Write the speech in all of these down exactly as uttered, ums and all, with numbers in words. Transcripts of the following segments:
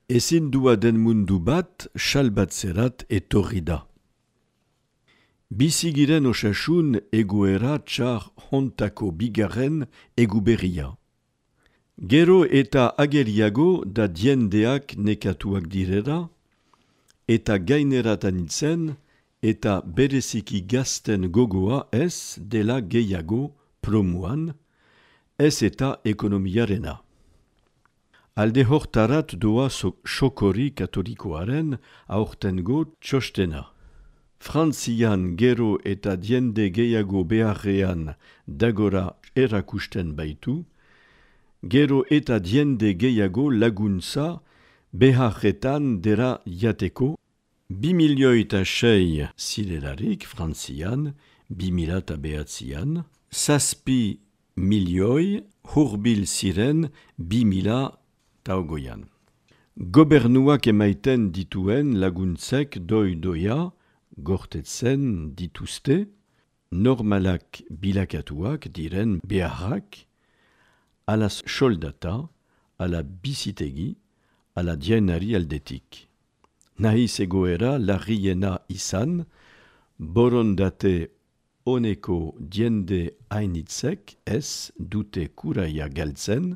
Ezin dua den mundu bat, salbatzerat etorri da. Bizigiren osasun egoera txar hontako bigarren eguberria. Gero eta ageriago da diendeak nekatuak direra, eta gaineratan itzen, eta bereziki gazten gogoa ez dela gehiago promuan, ez eta ekonomiarena. Alde hortarat doa sokori katolikoaren aurtengo txostena. Frantzian gero eta diende gehiago beharrean dagora erakusten baitu, gero eta diende gehiago laguntza beharretan dera jateko, bi milioi eta sei zirelarik Frantzian, bi mila eta behatzian, zazpi milioi hurbil ziren bi mila eta ogoian. Gobernuak emaiten dituen laguntzek doi-doia, gortetzen dituzte, normalak bilakatuak diren beharrak, ala soldata, ala bizitegi, ala dienari aldetik. Nahiz egoera larriena izan, borondate oneko diende hainitzek ez dute kuraia galtzen,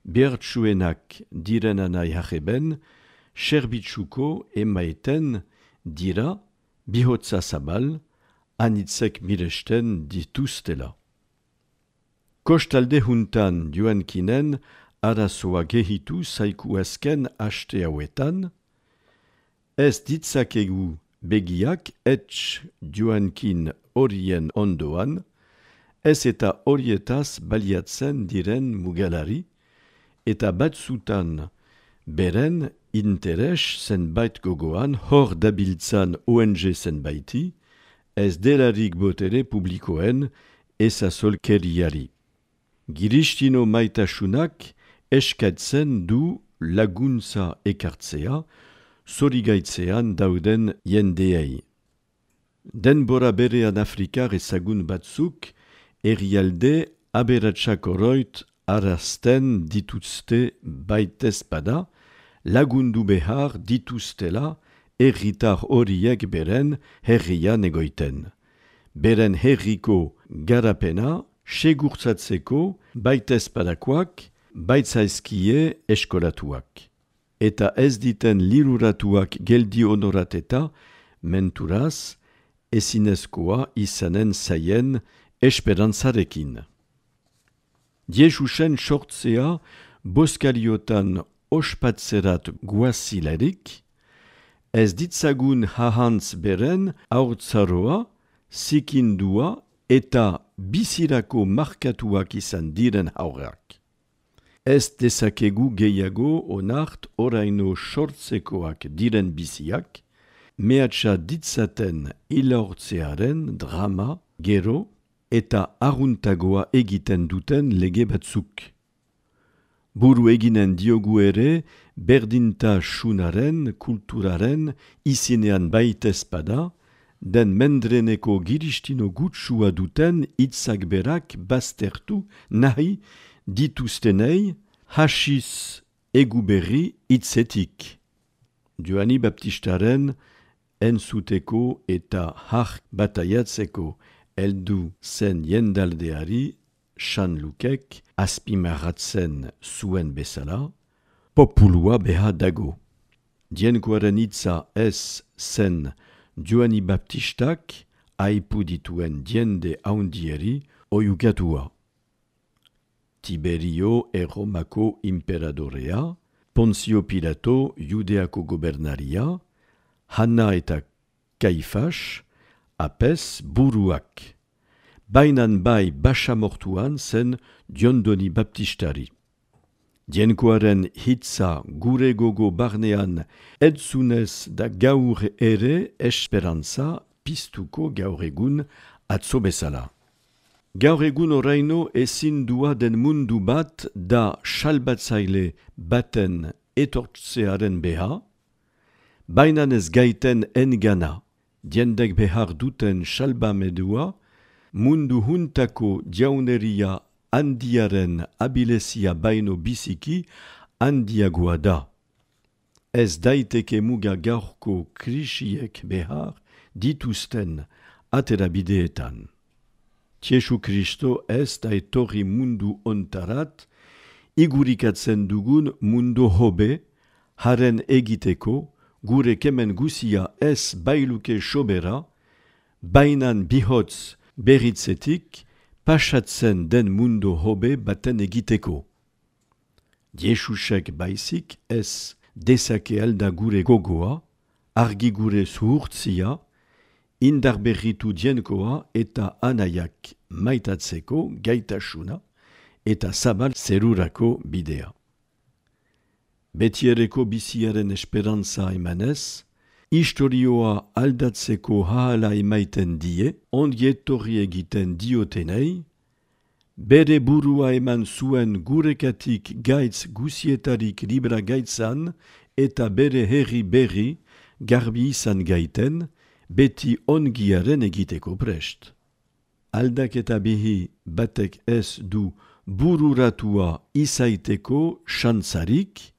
behartsuenak direnanai hajeben, serbitzuko emaiten dira bihotza zabal, anitzek miresten dituztela. Kostalde juntan joankinen arazoa gehitu zaiku azken haste hauetan, ez ditzakegu begiak etx joankin horien ondoan, ez eta horietaz baliatzen diren mugalari, eta batzutan beren interes zenbait gogoan hor dabiltzan O N G zenbaiti, ez delarik botere publikoen ezazolkeriari. Giristino maitasunak eskatzen du laguntza ekartzea, zorigaitzean dauden jendeei. Denbora berean Afrikar ezagun batzuk, herrialde aberatsak oroit arazten dituzte baitezpada, lagundu behar dituztela herritar horiek beren herrian egoiten. Beren herriko garapena segurtzatzeko baitezpadakoak baitzaizkie eskolatuak. Eta ez diten liruratuak geldi honorateta menturaz ezinezkoa izanen zaien esperantzarekin. Jesusen sortzea boskariotan ospatzerat guazilarik, ez ditzagun hahantz beren haurtzaroa, zikindua eta bizirako markatuak izan diren haurrak. Ez dezakegu gehiago onart oraino sortzekoak diren biziak, mehatxa ditzaten ilaurtzearen drama, gero eta arruntagoa egiten duten lege batzuk. Buru eginen diogu ere berdintasunaren, kulturaren izinean baitezpada, den mendreneko giristino gutsua duten hitzak berak baztertu nahi dituztenei hasiz eguberri hitzetik. Joani Baptistaren entzuteko eta hark bataiatzeko heldu zen jendaldeari Sanlukek azpimarratzen zuen bezala, populua beha dago. Dienkoaren hitza ez zen Joani Baptistak aipu dituen diende haundieri oiukatua. Tiberio Erromako imperadorea, Ponzio Pilato Judeako gobernaria, Hanna eta Kaifas, apez buruak. Bainan bai basamortuan zen Diondoni Baptistari. Dienkoaren hitza gure gogo barnean edzunez da gaur ere esperantza piztuko gaur egun atzo bezala. Gaur egun oraino ezin dua den mundu bat da salbatzaile baten etortzearen beha, bainan ez gaiten engana, diendek behar duten salbamedua, mundu huntako jauneria handiaren abilezia baino biziki handiagoa da. ez daiteke muga gaurko krisiek behar dituzten aterabideetan. Jesu Kristo ez da etorri mundu ontarat, igurikatzen dugun mundu hobe, haren egiteko, gure kemen guzia ez bailuke sobera, bainan bihotz beritzetik, pasatzen den mundu hobe baten egiteko. Jesusek baizik ez dezake alda gure gogoa, argi gure zuhurtzia, indar berritu dienkoa eta anaiak maitatzeko gaitasuna eta zabal zerurako bidea. Betiereko biziaren esperantza emanez, historioa aldatzeko haala emaiten die, ondietorri egiten diotenei, bere burua eman zuen gurekatik gaitz guzietarik libra gaitzan eta bere herri berri garbi izan gaiten, beti ongiaren egiteko prest. Aldaketa bihi batek ez du bururatua izaiteko xantzarik,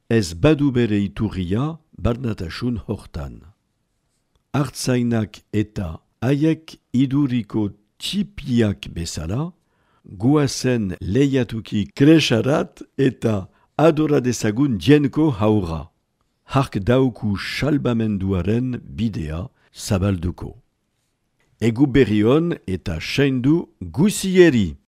ez badu bere iturria barnatasun hortan. Artzainak eta haiek iduriko txipiak bezala, guazen lehiatuki kresarat eta adora dezagun dienko haura. Hark dauku salbamenduaren bidea zabalduko. Egu berrion eta seindu guzieri!